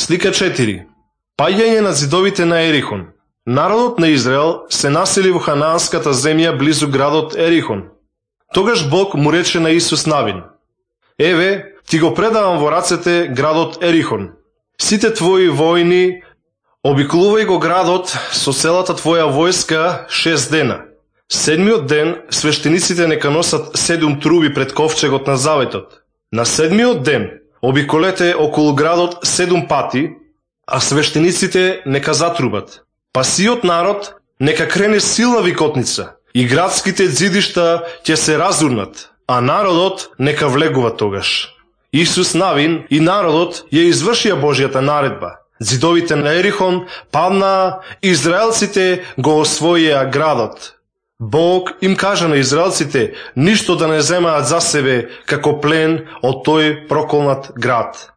Слика 4. Паѓање на зидовите на Ерихон. Народот на Израел се насели во ханаанската земја близу градот Ерихон. Тогаш Бог му рече на Исус Навин: еве, ти го предавам во рацете градот Ерихон. Сите твои војни обиколувај го градот со целата твоја војска 6 дена. 7-миот ден свештениците нека носат 7 труби пред ковчегот на заветот. На 7-миот ден обиколете околу градот 7 пати, а свештениците нека затрубат. Па сиот народ нека крене силна викотница и градските зидишта ќе се разурнат, а народот нека влегува тогаш. Исус Навин и народот ја извршија Божјата наредба. Зидовите на Ерихон паднаа, израелците го освоија градот. Бог им кажа на израелците ништо да не земаат за себе како плен од тој проколнат град.